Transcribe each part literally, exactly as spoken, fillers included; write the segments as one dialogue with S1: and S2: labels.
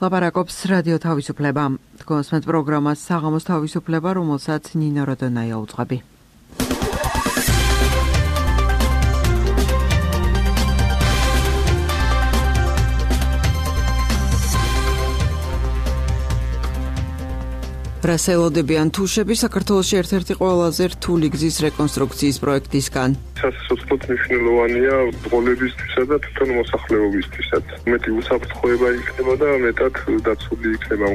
S1: ლაპარაკობს რადიო თავისუფლება. თქვენს პროგრამას საღამოს თავისუფლება, რომელსაც ნინო როდონაია უძღვები. რასელოდებიან თუშები საქართველოში ერთ-ერთი ყველაზე რთული გზის რეკონსტრუქციის პროექტისგან.
S2: სასწრაფოდ მნიშვნელოვანია ბრძოლებისთვისა და თვითონ მოსახლეობისთვისაც. მეტი უსაფრთხოება იქნება და მეტად დაცული იქნება.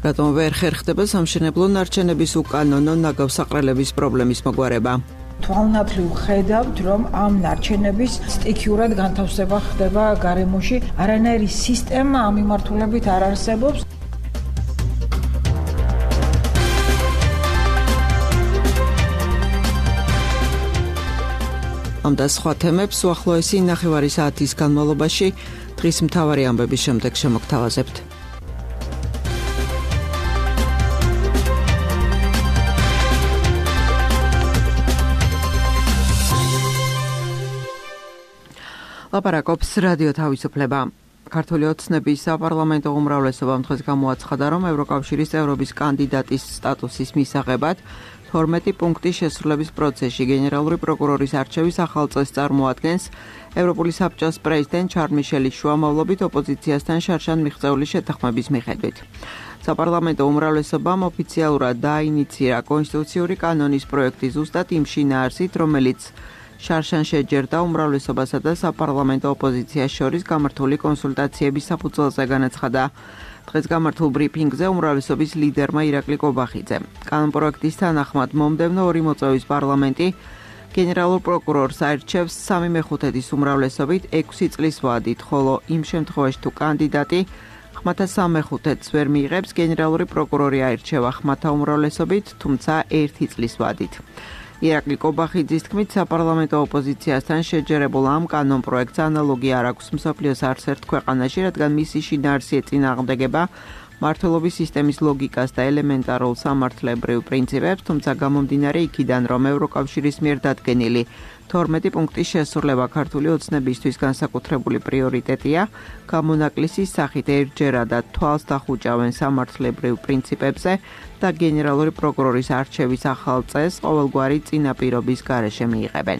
S1: რატომ ვერ ხერხდება სამშენებლო ნარჩენების უკანონო ნაგავსაყრელების პრობლემის მოგვარება?
S3: თვალნათლივ ხედავთ, რომ ამ ნარჩენების სტიქიურად განთავსება ხდება გარემოში, არანაირი სისტემა ამ მიმართულებით არ არსებობს. ამ და სხვა თემებს უახლოესი ნახევარი საათის განმავლობაში დღის მთავარი ამბების შემდეგ შემოგთავაზებთ. ლაპარაკობს რადიო თავისუფლება. ქართული ოცნების საპარლამენტო უმრავლესობამ დღეს გამოაცხადა, რომ ევროკავშირის წევრობის კანდიდატის სტატუსის მისაღებად თორმეტი პუნქტის შესრულების პროცესში გენერალური პროკურორის არჩევის ახალ წესს წარმოადგენს ევროპული საბჭოს პრეზიდენტ ჩარლ მიშელის შუამავლობით ოპოზიციასთან შარშან მიღწეული შეთანხმების მიხედვით. საპარლამენტო უმრავლესობამ ოფიციალურად დაინიცირა კონსტიტუციური კანონის პროექტი ზუსტად იმ შინაარსით, რომელიც შარშან შეჯერდა უმრავლესობასა და საპარლამენტო ოპოზიციას შორის გამართული კონსულტაციების საფუძველზე განაცხადა. დღეს გამართულ ბრიფინგზე უმრავლესობის ლიდერმა ირაკლი კობახიძემ. კანონპროექტის თანახმად მომდევნო ორი მოწვევის პარლამენტი გენერალურ პროკურორს აირჩევს სამი მეხუთედის უმრავლესობით ექვსი წლის ვადით, ხოლო იმ შემთხვევაში თუ კანდიდატი ხმათა სამეხუთედს ვერ მიიღებს, გენერალური პროკურორი აირჩევა ხმათა უმრავლესობით, თუმცა ერთი წლის ვადით. ირაკლი კობახიძის თქმით, საპარლამენტო ოპოზიციასთან შეჯერებულ ამ კანონპროექტს ანალოგი არ აქვს მსოფლიოს არც ერთ ქვეყანაში, რადგან მისი შინაარსი ეწინააღმდეგება მმართველობის სისტემის ლოგიკას და ელემენტარულ სამართლებრივ პრინციპებს, თუმცა გამომდინარე იქიდან, რომ ევროკავშირის მიერ დადგენილი თორმეტი პუნქტის შესრულება ქართული ოცნებისთვის განსაკუთრებული პრიორიტეტია, გამონაკლისის სახით ერთჯერადად თვალს დახუჭავენ სამართლებრივ პრინციპებზე და გენერალური პროკურორის არჩევის ახალ წესს ყოველგვარი წინაპირობის გარეშე მიიღებენ.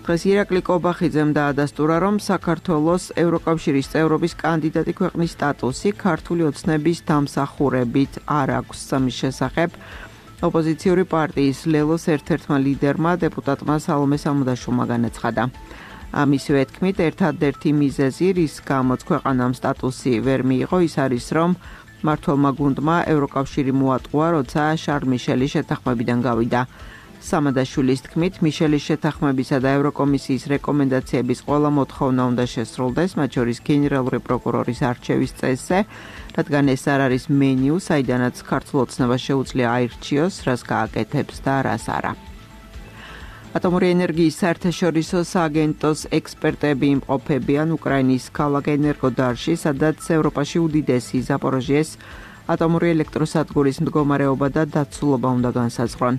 S3: დღეს ირაკლი კობახიძემ დაადასტურა, რომ საქართველოს ევროკავშირის წევრობის კანდიდატი ქვეყნის სტატუსი ქართული ოცნების დამსახურებით არ აქვს. ამის შესახებ ოპოზიციური პარტიის ლელოს ერთ-ერთმა ლიდერმა დეპუტატმა სალომე სამუდაშვილმა განაცხადა. ამისივე თქმით, ერთადერთი მიზეზი, რის გამოც ქვეყანამ სტატუსი ვერ მიიღო, ის არის, რომ მმართველმა გუნდმა ევროკავშირი მოატყუა, როცა შარლ მიშელის შეთანხმებიდან გავიდა. სამადაშვილის თქმით, მიშელის შეთანხმებისა და ევროკომისიის რეკომენდაციების ყველა მოთხოვნა უნდა შესრულდეს, მათ შორის გენერალური პროკურორის არჩევის წესზე, რადგან ეს არ არის მენიუ, საიდანაც ქართულ ოცნებას შეუძლია აირჩიოს, რას გააკეთებს და რას არა. ატომური ენერგიის საერთაშორისო სააგენტოს ექსპერტები იმყოფებიან უკრაინის ქალაქ ენერგოდარში, სადაც ევროპაში უდიდესი ზაპოროჟიეს ატომური ელექტროსადგურის მდგომარეობა და დაცულობა უნდა განსაზღვრონ.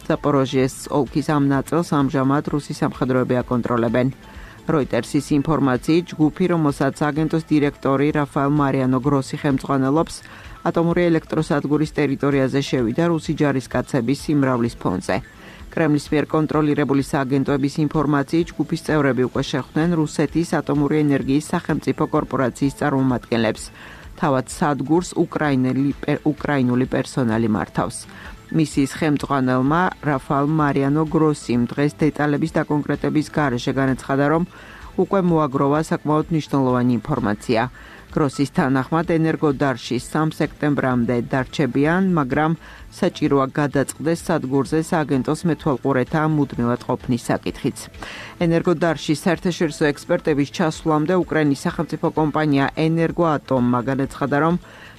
S3: ზაპოროჟიეს ოლქის ამ ნაწილს ამჟამად რუსი სამხედროები აკონტროლებენ. როიტერსის ინფორმაციით, ჯგუფი, რომელსაც აგენტოს დირექტორი რაფაელ მარიანო გროსი ხელმძღვანელობს, ატომური ელექტროსადგურის ტერიტორიაზე შევიდა რუსი ჯარისკაცების სიმრავლის ფონზე. კრემლის მიერ კონტროლირებული სააგენტოების ინფორმაციით, ჯგუფის წევრები უკვე შეხვდნენ რუსეთის ატომური ენერგიის სახელმწიფო კორპორაციის წარმომადგენლებს. თავად სადგურს უკრაინული პერსონალი მართავს. მისიის ხელმძღვანელმა რაფაელ მარიანო გროსიმ დღეს დეტალების დაკონკრეტების გარეშე განაცხადა, რომ უკვე მოაგროვა საკმაოდ მნიშვნელოვანი ინფორმაცია. გროსის თანახმად ენერგოდარში სამი სექტემბრამდე დარჩებიან, მაგრამ საჭიროა გადაწყდეს სადგურზე სააგენტოს მეთვალყურეთა მუდმივად ყოფნის საკითხიც. ენერგოდარში საერთაშორისო ექსპერტების ჩასვლამდე უკრაინის სახელმწიფო კომპანია ენერგოატომმა განაცხადა, რომ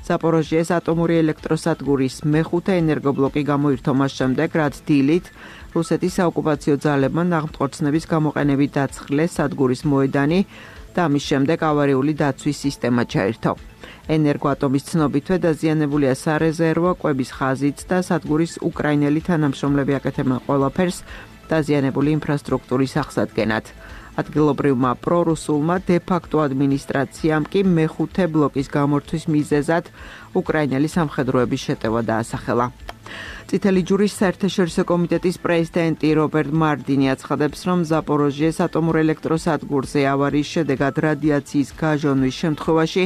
S3: ზაპოროჟიეს ატომური ელექტროსადგურის მეხუთე ენერგობლოკი გამოირთო მას შემდეგ, რაც დილით რუსეთის საოკუპაციო ძალებმა ნაღმწყორცნების გამოყენებით დაცხლეს სადგურის მოედანი და ამის შემდეგ ავარიული დაცვის სისტემა ჩაირთო. ენერგოატომის ცნობითვე დაზიანებულია სარეზერვო კვების ხაზიც და სადგურის უკრაინელი თანამშრომლები აკეთებენ ყველაფერს დაზიანებული ინფრასტრუქტურის აღსადგენად. ადგილობრივმა პრორუსულმა დე-ფაქტო ადმინისტრაციამ კი მეხუთე ბლოკის გამორთვის მიზეზად უკრაინელი სამხედროების შეტევა დაასახელა. წითელი ჯვრის საერთაშორისო კომიტეტის პრეზიდენტი რობერტ მარდინი აცხადებს, რომ ზაპოროჟიეს ატომურ ელექტროსადგურზე ავარიის შედეგად რადიაციის გაჟონვის შემთხვევაში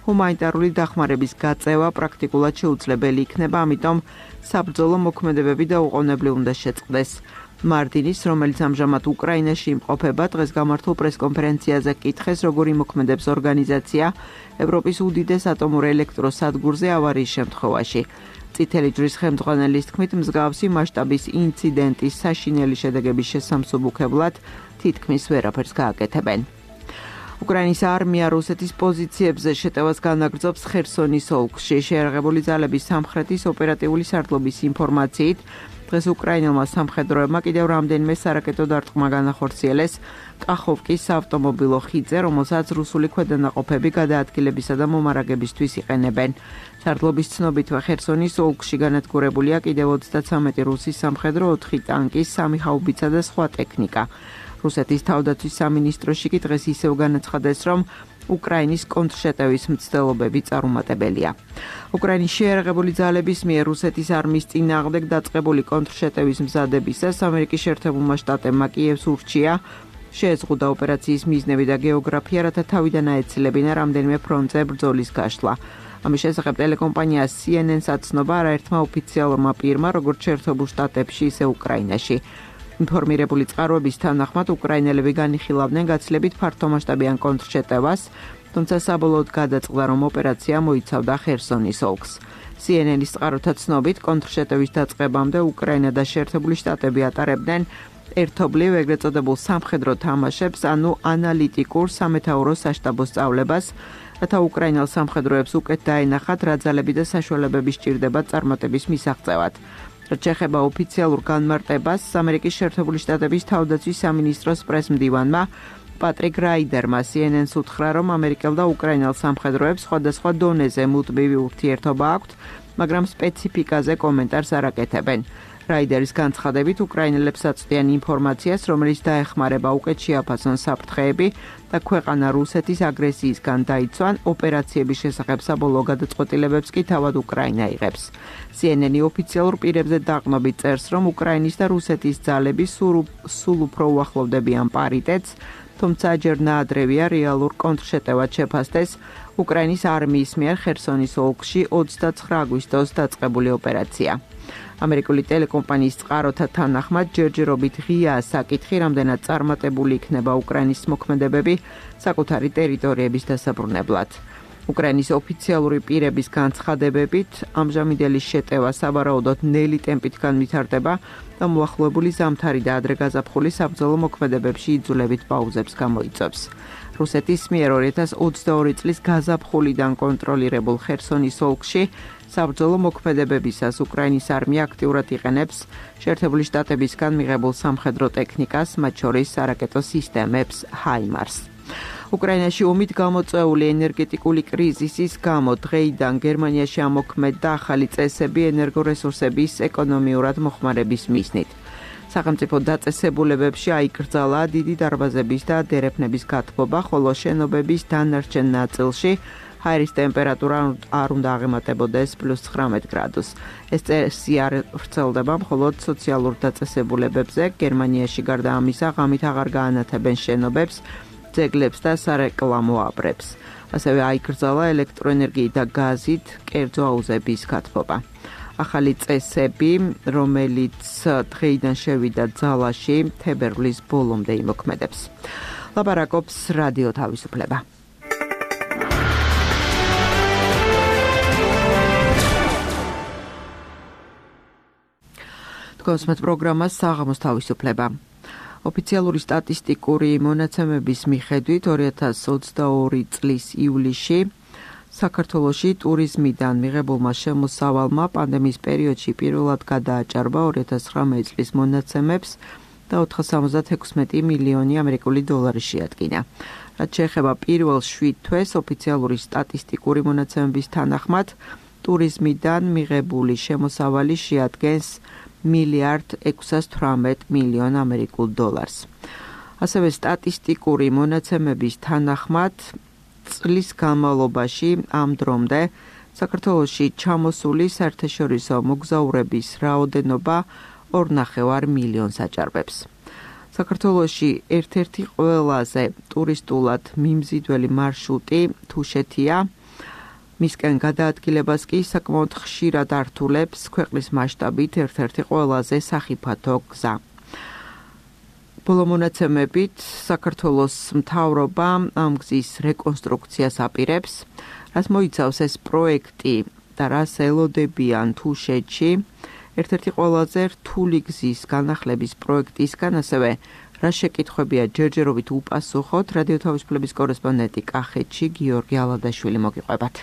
S3: ჰუმანიტარული დახმარების გაწევა პრაქტიკულად შეუძლებელი იქნება, ამიტომ საბრძოლო მოქმედებები და უყოვნებლივ უნდა შეწყდეს. მარდინის, რომელიც ამჟამად უკრაინაში იმყოფება, დღეს გამართულ პრესკონფერენციაზე კითხეს, როგორ იმოქმედებს ორგანიზაცია ევროპის უდიდეს ატომურ ელექტროსადგურზე ავარიის შემთხვევაში. წითელი ჯვრის ხელმძღვანელის თქმით, მსგავსი მასშტაბის ინციდენტის საშინელი შედეგების შესამსუბუქებლად თითქმის ვერაფერს გააკეთებენ. უკრაინის არმია რუსეთის პოზიციებზე შეტევას განაგრძობს ხერსონის ოლქში. შეიარაღებული ძალების სამხრეთის ოპერატიული სარდლობის ინფორმაციით, დღეს უკრაინელმა სამხედროებმა კიდევ რამდენიმე სარაკეტო დარტყმა განახორციელეს კახოვკის საავტომობილო ხიდზე, რომელსაც რუსული ქვედანაყოფები გადაადგილებისა და მომარაგებისთვის იყენებენ. სარდლობის ცნობითვე ხერსონის ოლქში განადგურებულია კიდევ ოცდათვრამეტი რუსი სამხედრო, ოთხი ტანკი, სამი ჰაუბიცა და სხვა ტექნიკა. რუსეთის თავდაცვის სამინისტროში კი დღეს ისევ განაცხადეს, რომ უკრაინის კონტრშეტევის მცდელობები წარუმატებელია. უკრაინის შეიარაღებული ძალების მიერ რუსეთის არმიის წინააღმდეგ დაწყებული კონტრშეტევის მზადებისას ამერიკის შეერთებულმა შტატებმა კიევს ურჩია შეეზღუდა ოპერაციის მიზნები და გეოგრაფია, რათა თავიდან აეცილებინა რამდენიმე ფრონტზე ბრძოლის გაშლა. ამის შესახებ ტელეკომპანია სი ენ ენ-ს აცნობა არაერთმა ოფიციალურმა პირმა, როგორც შეერთებულ შტატებში, ისე უკრაინაში. ინფორმირებული წყაროების თანახმად უკრაინელები განიხილავდნენ გაცილებით ფართომასშტაბიან კონტრშეტევას, თუმცა საბოლოოდ გადაწყდა, რომ ოპერაცია მოიცავდა ხერსონის ოლქს. სი ენ ენ-ის წყაროთა ცნობით, კონტრშეტევის დაწყებამდე უკრაინა და შეერთებული შტატები ატარებდნენ ერთობლივ ეგრეთ წოდებულ სამხედრო თამაშებს, ანუ ანალიტიკურ სამეთაურო საშტაბო სწავლებას, რათა უკრაინელ სამხედროებს უკეთ დაენახათ რა ძალები და საშუალებები სჭირდებათ წარმატების მისაღწევად. რაც შეეხება ოფიციალურ განმარტებას, ამერიკის შეერთებული შტატების თავდაცვის სამინისტროს პრესმდივანმა პატრიკ რაიდერმა სი ენ ენ-ს უთხრა, რომ ამერიკელ და უკრაინელ სამხედროებს სხვადასხვა დონეზე მუდმივი ურთიერთობა აქვთ, მაგრამ სპეციფიკაზე კომენტარს არ აკეთებენ. რაიდერის განცხადებით, უკრაინელებს აწვდიან ინფორმაციას, რომელიც დაეხმარება უკეთ შეაფასონ საფრთხეები და ქვეყანა რუსეთის აგრესიისგან დაიცვან, ოპერაციების შესახებ საბოლოო გადაწყვეტილებებს კი თავად უკრაინა იღებს. სი ენ ენ-ი ოფიციალურ პირებზე დაყნობით წერს, რომ უკრაინის და რუსეთის ძალები სულ უფრო უახლოვდებიან პარიტეტს, თუმცა ჯერ ნაადრევია რეალურ კონტრშეტევად შეფასდეს უკრაინის არმიის მიერ ხერსონის ოლქში ოცდაცხრა აგვისტოს დაწყებული ოპერაცია. ამერიკული ტელეკომპანიის წყაროთა თანახმად ჯერჯერობით ღიაა საკითხი, რამდენად წარმატებული იქნება უკრაინის მოქმედებები საკუთარი ტერიტორიების დასაბრუნებლად. უკრაინის ოფიციალური პირების განცხადებებით, ამჟამინდელი შეტევა სავარაუდოდ ნელი ტემპით განვითარდება და მოახლოებული ზამთარი და ადრე გაზაფხული საბრძოლო მოქმედებებში იძულებით პაუზებს გამოიწვევს. რუსეთის მიერ ორი ათას ოცდაორი წლის გაზაფხულიდან კონტროლირებულ ხერსონის ოლქში საბრძოლო მოქმედებებისას უკრაინის არმია აქტიურად იყენებს შეერთებული შტატებისგან მიღებულ სამხედრო ტექნიკას, მათ შორის სარაკეტო სისტემებს ჰაიმარს. უკრაინაში ომით გამოწვეული ენერგეტიკული კრიზისის გამო დღეიდან გერმანიაში ამოქმედდა ახალი წესები ენერგორესურსების ეკონომიურად მოხმარების მიზნით. სახელმწიფო დაწესებულებებში აიკრძალა დიდი დარბაზების და დერეფნების გათბობა, ხოლო შენობების დანარჩენ ნაწილში ჰაერის ტემპერატურა არ უნდა აღემატებოდეს პლუს ცხრამეტ გრადუსს. ეს წესი არ ვრცელდება მხოლოდ სოციალურ დაწესებულებებზე. გერმანიაში გარდა ამისა, ღამით აღარ გაანათებენ შენობებს, ძეგლებს და სარეკლამო აბრებს. ასევე აიკრძალა ელექტროენერგიით და გაზით კერძო აუზების გათბობა. ახალი წესები, რომელიც დღეიდან შევიდა ძალაში, თებერვლის ბოლომდე იმოქმედებს. ლაპარაკობს რადიო თავისუფლება. თქვენს პროგრამას საღამოს თავისუფლება. ოფიციალური სტატისტიკური მონაცემების მიხედვით ორი ათას ოცდაორი წლის ივლისში საქართველოში ტურიზმიდან მიღებულმა შემოსავალმა პანდემიის პერიოდში პირველად გადააჭარბა ორი ათას ცხრამეტი წლის მონაცემებს და ოთხსამოცდათექვსმეტი მილიონი ამერიკული დოლარი შეადგინა.
S1: რაც შეეხება პირველ შვიდ თვეს ოფიციალური სტატისტიკური მონაცემების თანახმად, ტურიზმიდან მიღებული შემოსავალი შეადგენს მილიარდ ექვსას თვრამეტ მილიონ ამერიკულ დოლარს. ასევე სტატისტიკური მონაცემების თანახმად, წლის განმავლობაში ამ დრომდე საქართველოში ჩამოსული საერთაშორისო მოგზაურების რაოდენობა ორნახევარ მილიონს აჭარბებს. საქართველოში ერთ-ერთი ყველაზე ტურისტულად მიმზიდველი მარშრუტი თუშეთია. მისკენ გადაადგილებას კი საკმაოდ ხშირად ართულებს ქვეყნის მასშტაბით ერთ-ერთი ყველაზე სახიფათო გზა. ბოლო მონაცემებით საქართველოს მთავრობა ამ გზის რეკონსტრუქციას აპირებს, რაც მოიცავს ეს პროექტი და რას ელოდებიან თუშეთში, ერთ-ერთი ყველაზე რთული გზის განახლების პროექტისგან, ასევე რა შეკითხვებია ჯერჯერობით უპასუხოთ, რადიო თავისუფლების კორესპონდენტი კახეთში გიორგი ალადაშვილი მოგიყვებათ.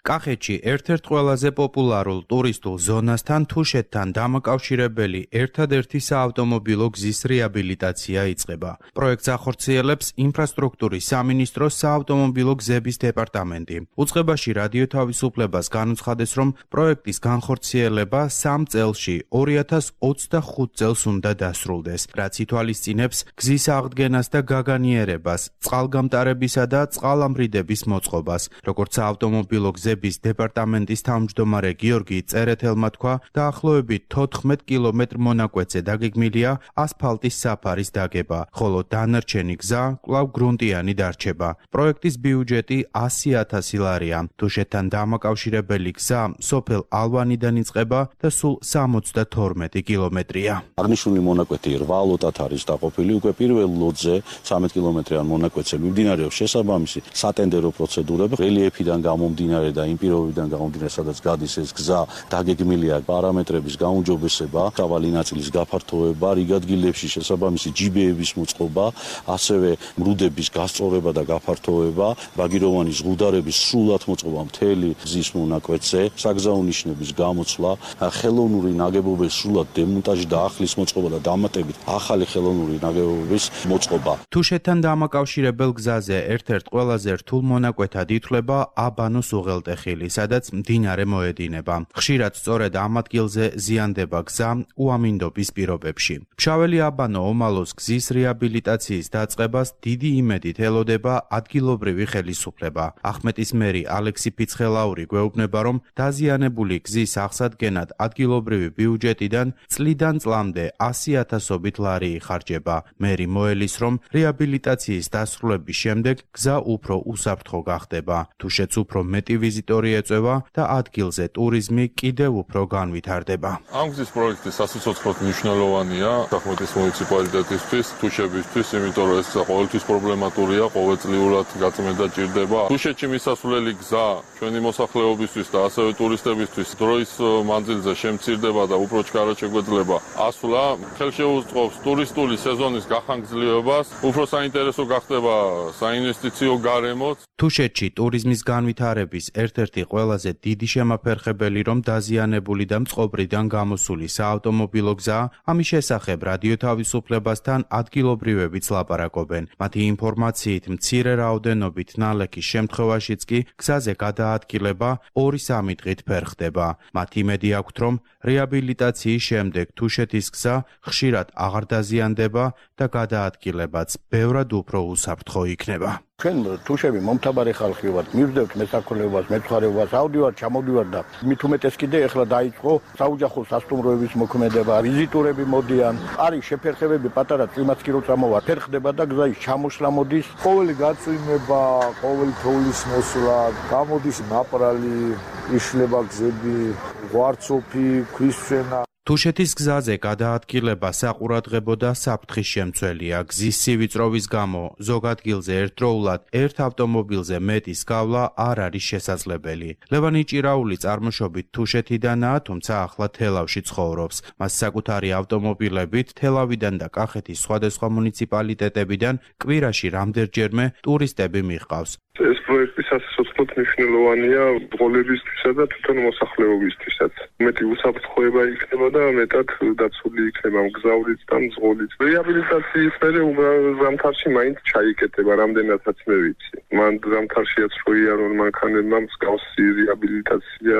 S4: კახეთში ერთ-ერთ ყველაზე პოპულარულ ტურისტულ ზონასთან თუშეთთან დამაკავშირებელი ერთადერთი საავტომობილო გზის რეაბილიტაცია იწყება. პროექტს ახორციელებს ინფრასტრუქტურის სამინისტროს საავტომობილო გზების დეპარტამენტი. უწყებაში რადიო თავისუფლებას განუცხადეს, რომ პროექტის განხორციელება სამ წელში ორი ათას ოცდახუთ წელს უნდა დასრულდეს, რაც ითვალისწინებს გზის აღდგენას და გაგანიერებას, წყალგამტარებისა და წყალამრიდების მოწყობას, როგორც საავტომობილო გზების დეპარტამენტის თავმჯდომარე გიორგი წერეთელმა თქვა, დაახლოებით თოთხმეტ კილომეტრ მონაკვეთზე დაგეგმილია ასფალტის საფარის დაგება, ხოლო დანარჩენი გზა კვლავ გრუნტიანი დარჩება. პროექტის ბიუჯეტი ასი ათასი ლარია. თუშეთთან დამაკავშირებელი გზა სოფელ ალვანიდან იწყება და სულ სამოცდათორმეტი კილომეტრია.
S5: აღნიშნული მონაკვეთი რვა ლოტად არის დაყოფილი, უკვე პირველ ლოტზე ცხრამეტ კილომეტრიან მონაკვეთზე მიმდინარეობს შესაბამისი სატენდერო პროცედურები, რელიეფიდან გამომდინარე და იმ პირობებიდან გამომდინარე, სადაც გადის ეს გზა, დაგეგმილია პარამეტრების გაუმჯობესება, მრავალი ნაწილის გაფართოება, რიგ ადგილებში შესაბამისი ჯიბეების მოწყობა, ასევე მრუდების გასწორება და გაფართოება, ბაგიროვანი ზღუდარების სრულად მოწყობა მთელი გზის მონაკვეთზე, საგზაო ნიშნების გამოცვლა, ხელოვნური ნაგებობების სრულად დემონტაჟი და ახლის მოწყობა და დამატებით ახალი ხელოვნური ნაგებობების მოწყობა.
S4: თუშეთთან დამაკავშირებელ გზაზე ერთ-ერთ ყველაზე რთულ მონაკვეთად ითვლება აბანოს უღელტეხილი, სადაც მდინარე მოედინება. ხშირად სწორედ ამ ადგილზე ზიანდება გზა უამინდობის პირობებში. ფშაველი აბანო ომალოს გზის რეაბილიტაციის დაწყებას დიდი იმედით ელოდება ადგილობრივი ხელისუფლება. ახმეტის მერი ალექსი ფიცხელაური გვეუბნება, რომ დაზიანებული გზის აღსადგენად ადგილობრივი ბიუჯეტიდან წლიდან წლამდე ასი ათასობით ლარი იხარჯება. მერი მოელის, რომ რეაბილიტაციის დასრულების შემდეგ გზა უფრო უსაფრთხო გახდება. თუშეთს უფრო მეტი ვიზიტორი ეწევა და ადგილზე ტურიზმი კიდევ უფრო განვითარდება.
S2: ამ გზის პროექტი სასიცოცხლოდ მნიშვნელოვანია ახმეტის მუნიციპალიტეტისთვის, თუშეთისთვის, იმიტომ რომ ეს ყოველთვის პრობლემატურია, ყოველწლიურად გაწმენდა ჭირდება. თუშეთში მისასვლელი გზა ჩვენი მოსახლეობისთვის და ასევე ტურისტებისთვის დროის მანძილზე შემცირდება და უფრო ჩქარად შეგვეძლება ასვლა, ხელშეუწყობს ტურისტული სეზონის გახანგრძლივებას, უფრო საინტერესო გახდება საინვესტიციო გარემოც.
S4: თუშეთში ტურიზმის განვითარების ერთ-ერთი ყველაზე დიდი შემაფერხებელი, რომ დაზიანებული და მწყობრიდან გამოსული საავტომობილო გზა, ამის შესახებ რადიო თავისუფლებასთან ადგილობრივებიც ლაპარაკობენ. მათი ინფორმაციით მცირე რაოდენობით ნალექის შემთხვევაშიც კი გზაზე გადაადგილება ორი სამი დღით ფერხდება. მათ იმედი აქვთ, რომ რეაბილიტაციის შემდეგ თუშეთის გზა ხშირად აღარ დაზიანდება და გადაადგილებაც ბევრად უფრო უსაფრთხო იქნება.
S6: ჩვენ თუშები მომთაბარე ხალხი ვართ, მივდევთ მესაქონლეობას, მეცხვარეობას, ავდივართ, ჩამოვდივართ და მით უმეტეს კიდე ეხლა დაიწყო საოჯახო სასტუმროების მოქმედება, ვიზიტორები მოდიან, არის შეფერხებები პატარა წვიმაც კი როცა მოვა, ფერხდება და გზის ჩამოსვლა მოდის,
S7: ყოველი გაწვიმება, ყოველი თოვლის მოსვლა, გამოდის ნაპრალი, იშლება გზები, ღვარცოფი, ქვისშენა.
S4: თუშეთის გზაზე გადაადგილება საყურადღებო და საფრთხის შემცველია. გზის სივიწროვის გამო ზოგ ადგილზე ერთდროულად ერთ ავტომობილზე მეტის გავლა არ არის შესაძლებელი. ლევანი ჭირაული წარმოშობით თუშეთიდანაა, თუმცა ახლა თელავში ცხოვრობს. მას საკუთარი ავტომობილებით თელავიდან და კახეთის სხვადასხვა მუნიციპალიტეტებიდან კვირაში რამდენჯერმე ტურისტები მიჰყავს.
S2: ეს პროექტი სასიცოცხლოდ მნიშვნელოვანია ბრძოლებისთვისა და თვითონ მოსახლეობისთვისაც. მეტი უსაფრთხოება იქნება და და მეტად დაცული იქნება მგზავრიც და მძღოლიც. რეაბილიტაციის მერე ზამთარში მაინც ჩაიკეტება, რამდენადაც მე ვიცი. მან ზამთარშიაც რო იარონ მანქანებმა მსგავსი რეაბილიტაცია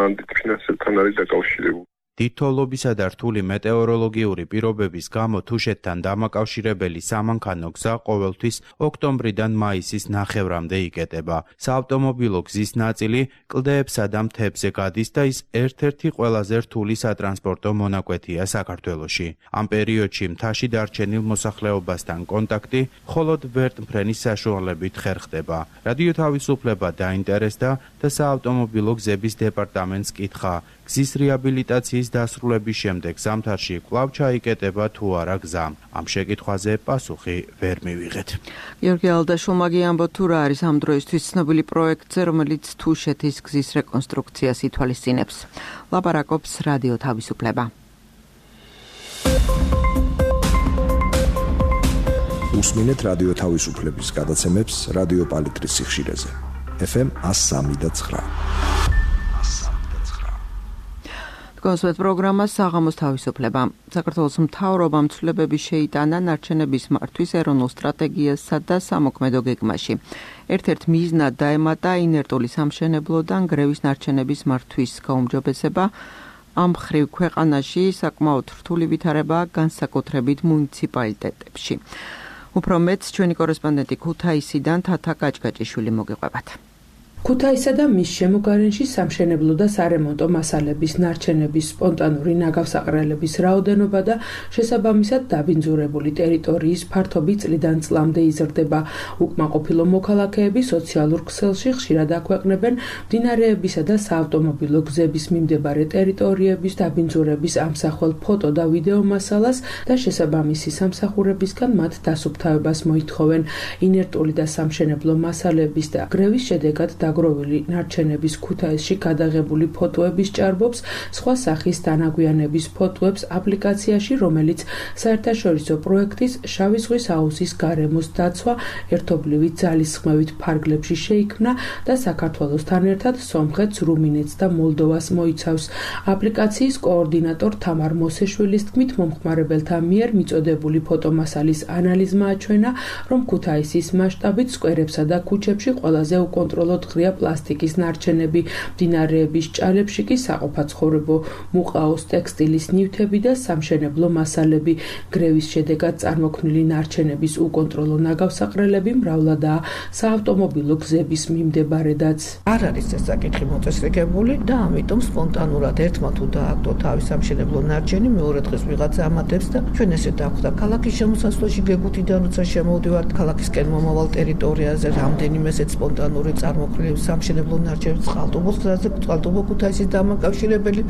S2: ანდით ფინანსებთან არის დაკავშირებული.
S4: დიდთოვლობისა და რთული მეტეოროლოგიური პირობების გამო თუშეთთან დამაკავშირებელი სამანქანო გზა ყოველთვის ოქტომბრიდან მაისის ნახევრამდე იკეტება. საავტომობილო გზის ნაწილი კლდეებსა და მთებზე გადის და ის ერთ-ერთი ყველაზე რთული სატრანსპორტო მონაკვეთია საქართველოში. ამ პერიოდში მთაში დარჩენილ მოსახლეობასთან კონტაქტი მხოლოდ ვერტმფრენის საშუალებით ხერხდება. რადიო თავისუფლება დაინტერესდა და საავტომობილო გზების დეპარტამენტს კითხა, გზის რეაბილიტაციის დასრულების შემდეგ ზამთარში კვლავ ჩაიკეტება თუ არა გზა. ამ შეკითხვაზე პასუხი ვერ მივიღეთ.
S1: გიორგი ალდაშულმა გიამბოთ თუ რა არის ამ დროისთვის ცნობილი პროექტზე, რომელიც თუშეთის გზის რეკონსტრუქციას ითვალისწინებს. ლაპარაკობს რადიო თავისუფლება.
S8: უსმინეთ რადიო თავისუფლების გადაცემებს რადიო პალიტრის სიხშირეზე. ეფ ემ one oh three point nine.
S1: კონსვეთ პროგრამა საღამოს თავისუფლება. საქართველოს მთავრობამ ცვლილებები შეიტანა ნარჩენების მართვის ეროვნულ სტრატეგიასა და სამოქმედო გეგმაში. ერთ-ერთ მიზნად დაემატა ინერტული სამშენებლოდან გრევის ნარჩენების მართვის გაუმჯობესება. ამ მხრივ ქვეყანაში საკმაოდ რთული ვითარება განსაკუთრებით მუნიციპალიტეტებში. უფრო მეც ჩვენი კორესპონდენტი ქუთაისიდან თათა გაჭგაჭიშვილი მოგიყვებათ.
S3: ქუთაისა და მის შემოგარენში სამშენებლო და სარემონტო მასალების ნარჩენების სპონტანური ნაგავსაყრელების რაოდენობა და შესაბამისად დაბინძურებული ტერიტორიის ფართობი წლიდან წლამდე იზრდება. უკმაყოფილო მოქალაქეები სოციალურ ქსელში ხშირად აქვეყნებენ მდინარეებისა და საავტომობილო გზების მიმდებარე ტერიტორიების დაბინძურების ამსახველ ფოტო და ვიდეო მასალას და შესაბამისი სამსახურებისგან მათ დასუფთავებას მოითხოვენ. ინერტული და სამშენებლო მასალების და გრევის შედეგად დაგროვილი ნარჩენების ქუთაისში გადაღებული ფოტოების ჭარბობს სხვა სახის დანაგვიანების ფოტოებს აპლიკაციაში, რომელიც საერთაშორისო პროექტის შავი ზღვის აუზის გარემოს დაცვა ერთობლივი ძალისხმევით ფარგლებში შეიქმნა და საქართველოსთან ერთად სომხეთს, რუმინეთს და მოლდოვას მოიცავს. აპლიკაციის კოორდინატორ თამარ მოსეშვილის თქმით, მომხმარებელთა მიერ მიწოდებული ფოტომასალის ანალიზმა აჩვენა, რომ ქუთაისის მასშტაბით სკვერებსა და ქუჩებში ყველაზე უკონტროლოდ ღრია პლასტიკის ნარჩენები, მდინარეების ჭალებში კი საყოფაცხოვრებო მუყაოს ტექსტილის ნივთები და სამშენებლო მასალები. გრევის შედეგად წარმოქმნილი ნარჩენების უკონტროლო ნაგავსაყრელები მრავლადაა საავტომობილო გზების მიმდებარედაც.
S9: არ არის ეს საკითხი მოწესრიგებული და ამიტომ სპონტანურად ერთმა თუ დააგდო თავის სამშენებლო ნარჩენი, მეორე დღეს ვიღაცა ამატებს და ჩვენ ესე დავხვდა ქალაქის შემოსასვლელში გეგუთიდან, როცა შემოვდივართ ქალაქისკენ მომავალ ტერიტორიაზე, რამდენიმე ესეთ სპონტანური წარმოქმნილი სამშენებლო ნარჩენების წყალტუბოს გზაზე, წყალტუბო ქუთაისის დამაკავშირებელი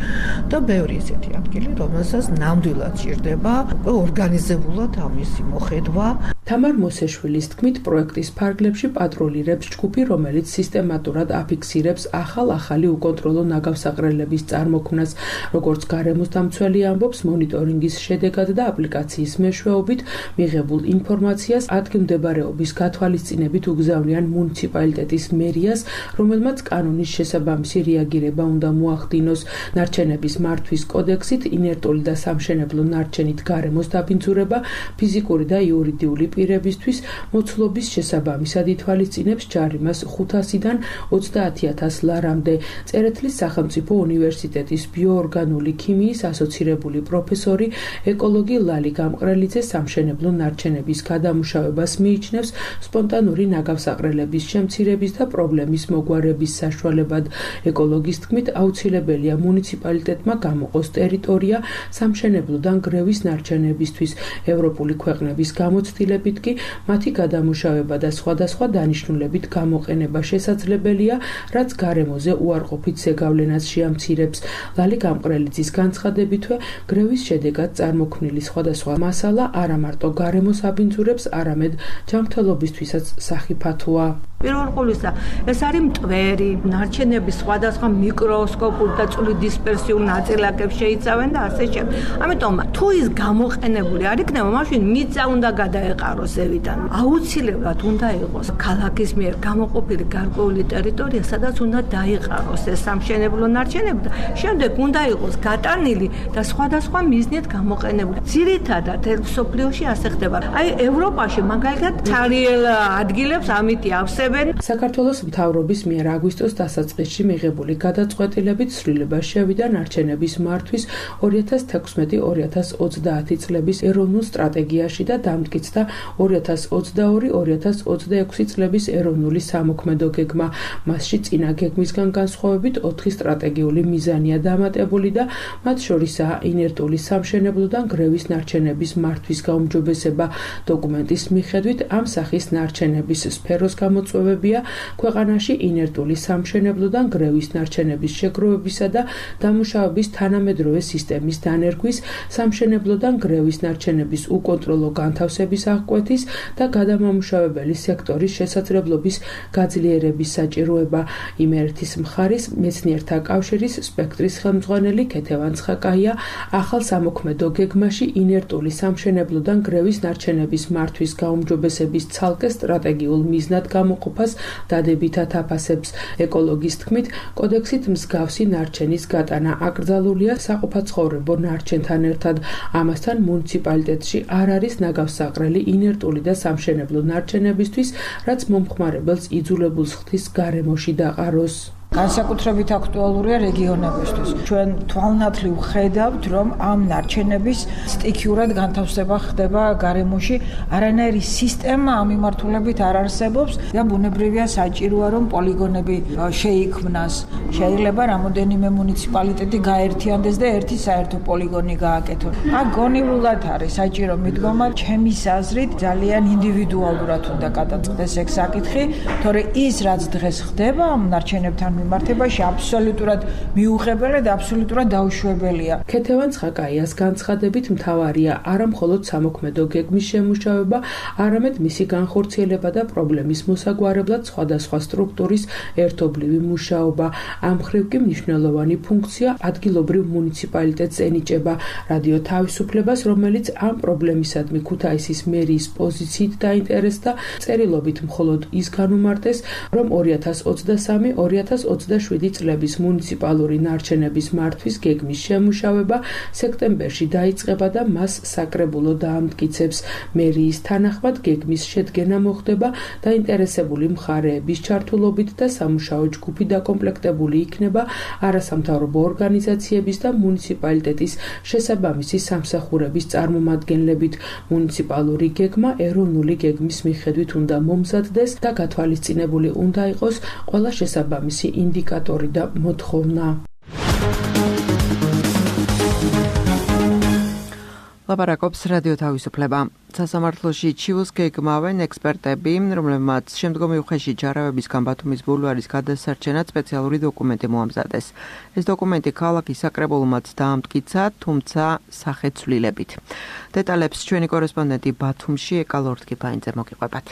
S9: და ბევრი ესეთი ადგილი, რომელსაც ნამდვილად ჭირდება ორგანიზებულად ამისი მოხედვა.
S3: თამარ მოსეშვილის თქმით, პროექტის ფარგლებში პატრულირებს ჯგუფი, რომელიც სისტემატურად აფიქსირებს ახალ-ახალი უკონტროლო ნაგავსაყრელების წარმოქმნას. როგორც გარემოს დამცველი ამბობს, მონიტორინგის შედეგად და აპლიკაციის მეშვეობით მიღებულ ინფორმაციას ადგილმდებარეობის გათვალისწინებით უგზავნიან მუნიციპალიტეტის მერიას, რომელმაც კანონის შესაბამისი რეაგირება უნდა მოახდინოს. ნარჩენების მართვის კოდექსით ინერტული და სამშენებლო ნარჩენით გარემოს დაბინძურება ფიზიკური და იურიდიული პირებისთვის მოცულობის შესაბამისად ითვალისწინებს ჯარიმას ხუთასიდან ოცდაათი ათას ლარამდე. წერეთლის სახელმწიფო უნივერსიტეტის ბიოორგანული ქიმიის ასოცირებული პროფესორი ეკოლოგი ლალი გამყრელიძე სამშენებლო ნარჩენების გადამუშავებას მიიჩნევს სპონტანური ნაგავსაყრელების შემცირების და პრობლემის მოგვარების საშუალებად. ეკოლოგის თქმით, აუცილებელია მუნიციპალიტეტმა გამოყოს ტერიტორია სამშენებლოდან გრევის ნარჩენებისთვის. ევროპული ქვეყნების გამოცდილებით კი მათი გადამუშავება და სხვადასხვა დანიშნულებით გამოყენება შესაძლებელია, რაც გარემოზე უარყოფით ზეგავლენას შეამცირებს. ლალი გამყრელიძის განცხადებითვე, გრევის შედეგად წარმოქმნილი სხვადასხვა მასალა არა მარტო გარემოს აბინძურებს, არამედ ჯანმრთელობისთვისაც სახიფათოა.
S9: პირველ ყოვლისა, ეს არის მტვერი, ნარჩენების სხვადასხვა მიკროსკოპულ და წვრილი დისპერსიულ ნაწილაკებს შეიცავენ და ასე შემდეგ. ამიტომ თუ ის გამოყენებული არ იქნება, მაშინ მიწა უნდა გადაეყაროს ზევიდან. აუცილებლად უნდა იყოს ქალაქის მიერ გამოყოფილი გარკვეული ტერიტორია, სადაც უნდა დაიყაროს ეს სამშენებლო ნარჩენები და შემდეგ უნდა იყოს გატანილი და სხვადასხვა მიზნით გამოყენებული. ძირითადად მსოფლიოში ასე ხდება. აი ევროპაში მაგალითად ცარიელ ადგილებს ამიტი ავსებენ.
S3: საქართველოს მთავრობის მიერ აგვისტოს დასაწყისში მიღებული გადაწყვეტილებით ცვლილება შევიდა ნარჩენების მართვის ორი ათას თექვსმეტი ორი ათას ოცდაათი წლების ეროვნულ სტრატეგიაში და დამტკიცდა ორი ათას ოცდაორი ორი ათას ოცდაექვსი წლების ეროვნული სამოქმედო გეგმა. მასში წინა გეგმისგან განსხვავებით ოთხი სტრატეგიული მიზანია დამატებული და მათ შორისაა ინერტული სამშენებლოდან გრევის ნარჩენების მართვის გაუმჯობესება. დოკუმენტის მიხედვით ამ სახის ნარჩენების სფეროს გამოწვევებია ქვეყანაში ინერტული სამშენებლოდან გრევის ნარჩენების შეგროვებისა და დამუშავების თანამედროვე სისტემის დანერგვის, სამშენებლოდან გრევის ნარჩენების უკონტროლო განთავსების აღკვეთის და გადამამუშავებელი სექტორის შესაძლებლობის გაძლიერების საჭიროება. იმერეთის მხარის მეცნიერთა კავშირის სპექტრის ხელმძღვანელი ქეთევან ცხაკაია ახალ სამოქმედო გეგმაში ინერტული სამშენებლოდან გრევის ნარჩენების მართვის გაუმჯობესების ცალკე სტრატეგიულ მიზნად გამოყოფას დადებითად აფასებს. ეკოლოგის თქმით, კოდექსით მსგავსი ნარჩენის გატანა აკრძალულია საყოფაცხოვრებო ნარჩენთან ერთად. ამასთან მუნიციპალიტეტში არ არის ნაგავსაყრელი ინერტული და სამშენებლო ნარჩენებისთვის, რაც მომხმარებელს იძულებულს ხდის გარემოში დაყაროს.
S10: განსაკუთრებით აქტუალურია რეგიონებისთვის. ჩვენ თვალნათლივ ვხედავთ, რომ ამ ნარჩენების სტიქიურად განთავსება ხდება გარემოში, არანაირი სისტემა ამ მიმართულებით არ არსებობს და ბუნებრივია საჭიროა, რომ პოლიგონები შეიქმნას. შეიძლება რამოდენიმე მუნიციპალიტეტი გაერთიანდეს და ერთი საერთო პოლიგონი გააკეთონ. აქ გონივრულად არის საჭირო მიდგომა, ჩემის აზრით ძალიან ინდივიდუალურად უნდა გადაწყდეს ეგ საკითხი, თორე ის რაც დღეს ხდება ამ ნარჩენებთან მიმართებაში აბსოლუტურად მიუღებელი და აბსოლუტურად დაუშვებელია.
S3: ქეთევან ცხაკაიას განცხადებით მთავარია არა მხოლოდ სამოქმედო გეგმის შემუშავება, არამედ მისი განხორციელება და პრობლემის მოსაგვარებლად სხვადასხვა სტრუქტურის ერთობლივი მუშაობა. ამ მხრივ კი მნიშვნელოვანი ფუნქცია ადგილობრივ მუნიციპალიტეტს ენიჭება. რადიო თავისუფლებას, რომელიც ამ პრობლემისადმი ქუთაისის მერიის პოზიციით დაინტერესდა, წერილობით მხოლოდ ის განუმარტეს, რომ ორი ათას ოცდასამი ორი ათას ოცდაშვიდი წლების მუნიციპალური ნარჩენების მართვის გეგმის შემუშავება სექტემბერში დაიწყება და მას საკრებულო დაამტკიცებს. მერიის თანახმად გეგმის შედგენა მოხდება დაინტერესებული მხარეების ჩართულობით და სამუშაო ჯგუფი დაკომპლექტებული იქნება არასამთავრობო ორგანიზაციების და მუნიციპალიტეტის შესაბამისი სამსახურების წარმომადგენლებით. მუნიციპალური გეგმა ეროვნული გეგმის მიხედვით უნდა მომზადდეს და გათვალისწინებული უნდა იყოს ყველა შესაბამისი ინდიკატორი და მოთხოვნა.
S1: ლაპარაკობს რადიო თავისუფლება. სასამართლოში ჩიუს გეგმავენ ექსპერტები, რომლებმაც შემდგომი უხეში ჯარავებისგან ბათუმის ბულვარის გადასარჩენად სპეციალური დოკუმენტი მოამზადეს. ეს დოკუმენტი ქალაქის საკრებულომაც დაამტკიცა, თუმცა სახეცვლილებით. დეტალებს ჩვენი კორესპონდენტი ბათუმში ეკალორთკიფაინძე მოგიყვებათ.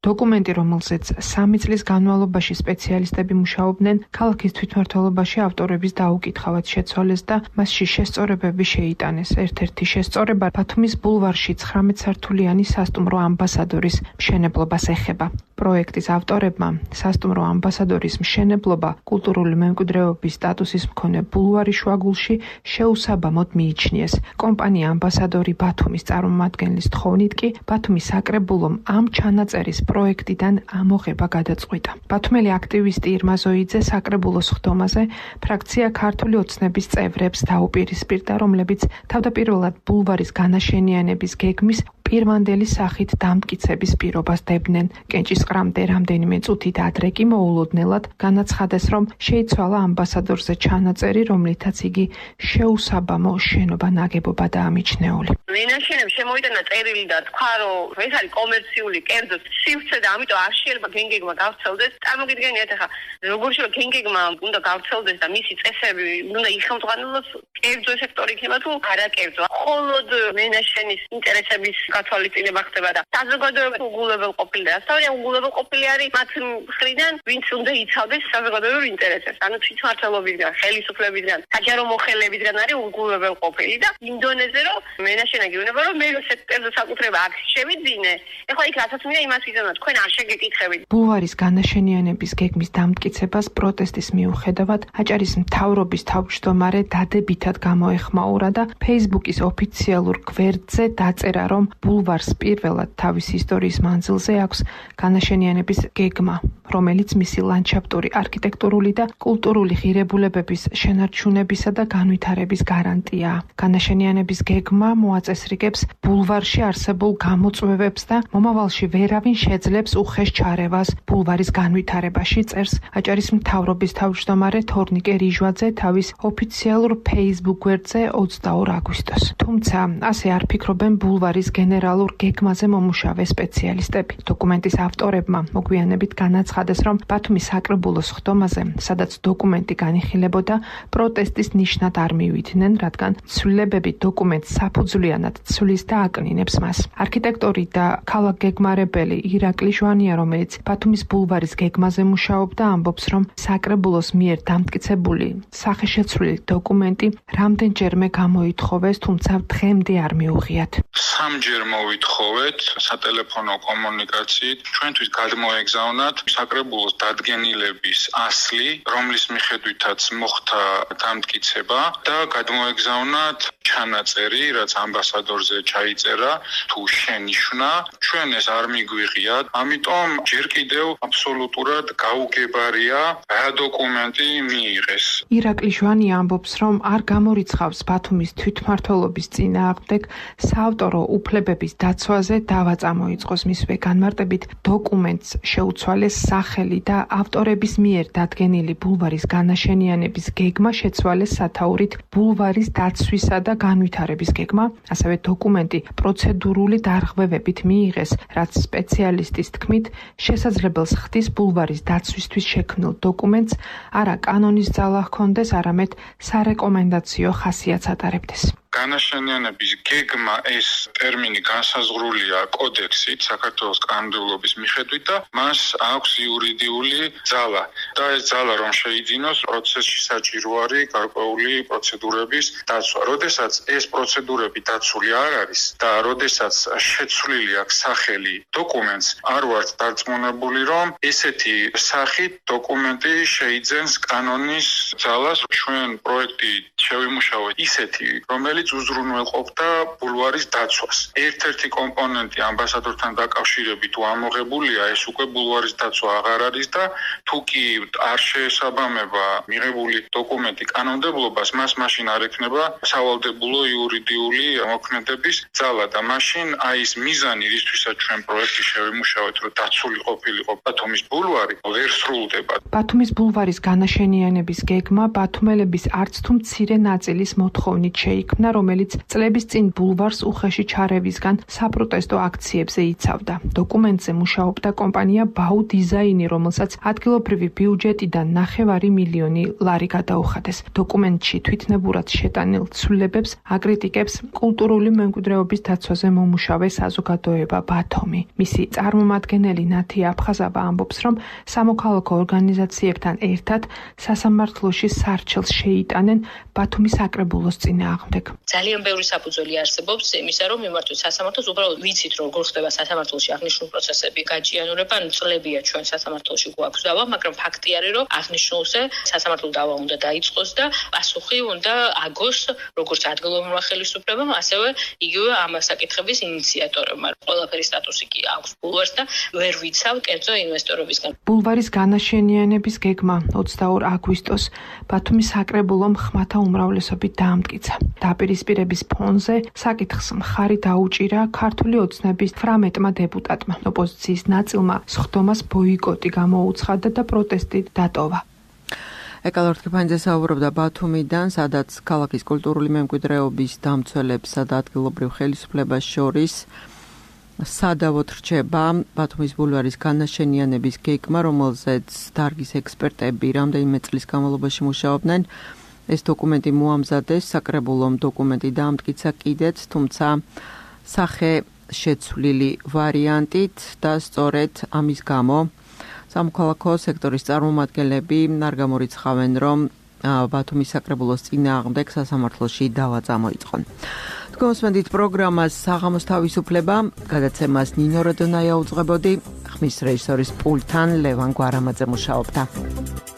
S11: დოკუმენტი, რომელზეც სამი წლის განმავლობაში სპეციალისტები მუშაობდნენ, ქალაქის თვითმმართველობაში ავტორების დაუკითხავად შეცვალეს და მასში შესწორებები შეიტანეს. ერთ-ერთი შესწორება ბათუმის ბულვარში ცხრამეტ სართულიანი სასტუმრო ამბასადორის მშენებლობას ეხება. პროექტის ავტორებმა სასტუმრო ამბასადორის მშენებლობა კულტურული მემკვიდრეობის სტატუსის მქონე ბულვარის შუაგულში შეუსაბამოდ მიიჩნიეს. კომპანია ამბასადორი ბათუმის წარმომადგენლის თხოვნით კი ბათუმის საკრებულომ ამ ჩანაწერის პროექტიდან ამოღება გადაწყვიტა. ბათუმელი აქტივისტი ირმა ზოიძე საკრებულოს ხდომაზე ფრაქცია ქართული ოცნების წევრებს დაუპირისპირდა, რომლებიც თავდაპირველად ბულვარის განაშენიანების გეგმის პირვანდელი სახით დამტკიცების პირობას დებდნენ. კენჭისყრამდე რამდენიმე წუთით ადრე კი მოულოდნელად განაცხადეს, რომ შეიცვალა ამბასადორზე ჩანაწერი, რომლითაც იგი შეუსაბამო შენობა ნაგებობა დაამიჩნეული.
S12: მინაშენებს შემოიტანა წერილი და თქვა, რომ ეს არის კომერციული კერძო სივრცე და ამიტომ არ შეიძლება გენგეგმა გავრცელდეს. წარმოგიდგენიათ ახლა როგორ შეიძლება გენგეგმა უნდა გავრცელდეს და მისი წესები უნდა იხელმძღვანელოს კერძო სექტორი იქნება თუ არა კერძო. მხოლოდ მინაშენის ინტერესების გათვალისწინება ხდება და საზოგადოება უგულებელყოფილი და სწორია უგულებელყოფილი არის მათ მხრიდან, ვინც უნდა იცავდეს საზოგადოებრივ ინტერესებს. ანუ თვითმმართველობისგან, ხელისუფლებისგან, საჯარო მოხელებისგან არის უგულებელყოფილი და იმ დონეზე რომ მენაშენა გეუბნება რომ მე სექტორზე საკუთრება აქ შევიძინე. ეხლა იქ რასაც მინდა იმას ვიზამნა, თქვენ არ შეგეკითხებით.
S11: ბულვარის განაშენიანების გეგმის დამტკიცებას პროტესტის მიუხედავად აჭარის მთავრობის თავმჯდომარე დადებითად გამოეხმაურა და Facebook-ის ოფიციალურ გვერდზე დაწერა, რომ ბულვარს პირველად თავის ისტორიის მანძილზე აქვს განაშენიანების გეგმა, რომელიც მისი ლანდშაფტური, არქიტექტურული და კულტურული ღირებულებების შენარჩუნებისა და განვითარების გარანტიაა. განაშენიანების გეგმა მოაწესრიგებს ბულვარში არსებულ გამოწვევებს და მომავალში ვერავინ შეძლებს უხეშ ჩარევას ბულვარის განვითარებაში, წერს აჭარის მთავრობის თავმჯდომარე თორნიკე რიჟვაძე თავის ოფიციალურ Facebook გვერდზე ოცდაორ აგვისტოს. თუმცა ასე არ ფიქრობენ ბულვარის გენერალურ გეგმაზე მომუშავე სპეციალისტები. დოკუმენტის ავტორებმა მოგვიანებით განაცხადეს, რომ ბათუმის საკრებულოს ხდომაზე, სადაც დოკუმენტი განიხილებოდა, პროტესტის ნიშნად არ მივიდნენ, რადგან ცვლილებები დოკუმენტს საფუძვლიანად ცვლის და აკნინებს მას. არქიტექტორი და ქალაქგეგმარებელი ირაკლი ჟვანია, რომელიც ბათუმის ბულვარის გეგმაზე მუშაობდა, ამბობს, რომ საკრებულოს მიერ დამტკიცებული სახეშეცვლილი დოკუმენტი რამდენჯერმე გამოითხოვეს, თუმცა დღემდე არ მიუღიათ.
S13: სამჯერ მოვითხოვეთ სატელეფონო კომუნიკაციით, ჩვენთვის გადმოეგზავნათ საკრებულოს დადგენილების ასლი, რომლის მიხედვითაც მოხდა დამტკიცება და გადმოეგზავნათ ჩანაწერი, რაც ამბასადორზე ჩაიწერა, თუ შენიშვნა, ჩვენ ეს არ მიგვიღიათ, ამიტომ ჯერ კიდევ აბსოლუტურად გაუგებარია რა დოკუმენტი მიიღეს.
S11: ირაკლი ჟვანია ამბობს, რომ არ გამორიცხავს ბათუმის თვითმმართველობის წინააღმდეგ საავტორო უფლებების დაცვაზე დავა წამოიწყოს, მისვე განმარტებით დოკუმენტს შეუცვალეს სახელი და ავტორების მიერ დადგენილი ბულვარის განაშენიანების გეგმა შეცვალეს სათაურით ბულვარის დაცვისა და განვითარების გეგმა, ასევე დოკუმენტი პროცედურული დარღვევებით მიიღეს, რაც სპეციალისტის თქმით შესაძლებელს ხდის ბულვარის დაცვისთვის შექმნილ დოკუმენტს არა კანონის ძალა ჰქონდეს, არამედ სარეკომენდაციო ხასიათს ატარებდეს.
S13: განაშენიანების გეგმა ეს ტერმინი განსაზღვრულია კოდექსით საქართველოს კანონმდებლობის მიხედვით და მას აქვს იურიდიული ძალა და ეს ძალა რომ შეიძინოს პროცესში საჭირო არის გარკვეული პროცედურების დაცვა. როდესაც ეს პროცედურები დაცული არ არის და როდესაც შეცვლილი აქვს სახელი დოკუმენტს, არ ვართ დარწმუნებული რომ ესეთი სახით დოკუმენტი შეიძენს კანონის ძალას. ჩვენ პროექტი შევიმუშავეთ ისეთი, რომელიც უზრუნველყოფდა ბულვარის დაცვას. ერთ-ერთი კომპონენტი ამბასადორთან დაკავშირებით თუ ამოღებულია, ეს უკვე ბულვარის დაცვა აღარ არის და თუ კი არ შეესაბამება მიღებული დოკუმენტი კანონმდებლობას, მას მაშინ არ ექნება სავალდებულო იურიდიული მოქმედების ძალა და მაშინ აი ეს მიზანი, რისთვისაც ჩვენ პროექტი შევიმუშავეთ, რომ დაცული ყოფილიყო ბათუმის ბულვარი, ვერ სრულდება.
S11: ბათუმის ბულვარის განაშენიანების გეგმა ბათუმელების არც თუ მცირე ნაწილის მოთხოვნით შეიქმნა, რომელიც წლების წინ ბულვარს უხეში ჩარევისგან საპროტესტო აქციებზე იცავდა. დოკუმენტზე მუშაობდა კომპანია ბაუ დიზაინი, რომელსაც ადგილობრივი ბიუჯეტიდან ნახევარი მილიონი ლარი გადაუხადეს. დოკუმენტში თვითნებურად შეტანილ ცვლილებებს აკრიტიკებს კულტურული მემკვიდრეობის დაცვაზე მომუშავე საზოგადოება ბათუმი. მისი წარმომადგენელი ნათი აფხაზავა ამბობს, რომ სამოქალაქო ორგანიზაციებთან ერთად სასამართლოში სარჩელს შეიტანენ ბათუმის საკრებულოს წინააღმდეგ.
S14: ძალიან ბევრი საფუძველი არსებობს იმისა, რომ მიმართოთ სასამართლოს, უბრალოდ ვიცით როგორ ხდება სასამართლოში აღნიშნული პროცესები გაჭიანურება, ანუ წლებია ჩვენ სასამართლოში გვაქვს დავა, მაგრამ ფაქტი არის, რომ აღნიშნულზე სასამართლო დავა უნდა დაიწყოს და პასუხი უნდა აგოს როგორც ადგილობრივმა ხელისუფლებამ, ასევე იგივე ამ საკითხების ინიციატორებმა. ყველაფერი სტატუსი კი აქვს ბულვარს და ვერ ვიცავ კერძო ინვესტორებისგან.
S11: ბულვარის განაშენიანების გეგმა ოცდაორ აგვისტოს ბათუმის საკრებულომ ხმათა უმრავლესობით დაამტკიცა. დაპირისპირების ფონზე საკითხს მხარი დაუჭირა ქართული ოცნების თვრამეტმა დეპუტატმა. ოპოზიციის ნაწილმა სხდომას ბოიკოტი გამოუცხადა და პროტესტი დატოვა.
S1: ეკალორ თქიფანიძე საუბრობდა ბათუმიდან, სადაც ქალაქის კულტურული მემკვიდრეობის დამცველებსა და ადგილობრივ ხელისუფლებას შორის სადავოდ რჩება ბათუმის ბულვარის განაშენიანების გეგმა, რომელზეც დარგის ექსპერტები რამდენიმე წლის განმავლობაში მუშაობდნენ. ეს დოკუმენტი მოამზადეს, საკრებულომ დოკუმენტი დაამტკიცა კიდეც, თუმცა სახე შეცვლილი ვარიანტით და სწორედ ამის გამო სამოქალაქო სექტორის წარმომადგენლები არ გამორიცხავენ, რომ ბათუმის საკრებულოს წინააღმდეგ სასამართლოში დავა წამოიწყონ. თქვენ მოსმენთ პროგრამას საღამოს თავისუფლება, გადაცემას ნინო როდონაია უძღვებოდი, ხმის რეჟისორის პულტთან ლევან გვარამაძე მუშაობდა.